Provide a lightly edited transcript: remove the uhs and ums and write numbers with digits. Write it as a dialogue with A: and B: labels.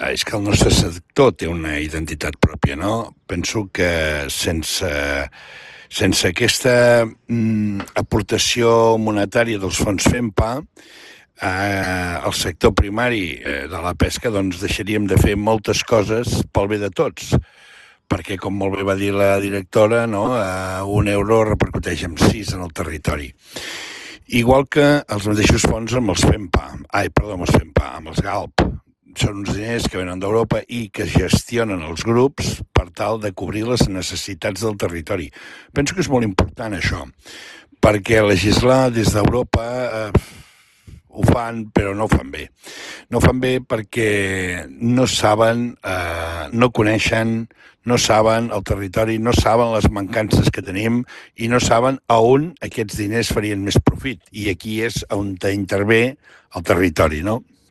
A: És que el nostre sector té una identitat pròpia, no? Penso que sense aquesta aportació monetària dels fons FEMPA, el sector primari de la pesca doncs deixaríem de fer moltes coses pel bé de tots, perquè, com molt bé va dir la directora, no? Un euro repercuteix en 6 en el territori. Igual que els mateixos fons amb els FEMPA, amb els GALP. Són uns diners que venen d'Europa i que gestionen els grups per tal de cobrir les necessitats del territori. Penso que és molt important això, perquè legislar des d'Europa ho fan, però no ho fan bé. No ho fan bé perquè no saben, no coneixen, no saben el territori, no saben les mancances que tenim i no saben a on aquests diners farien més profit. I aquí és on intervé el territori, no?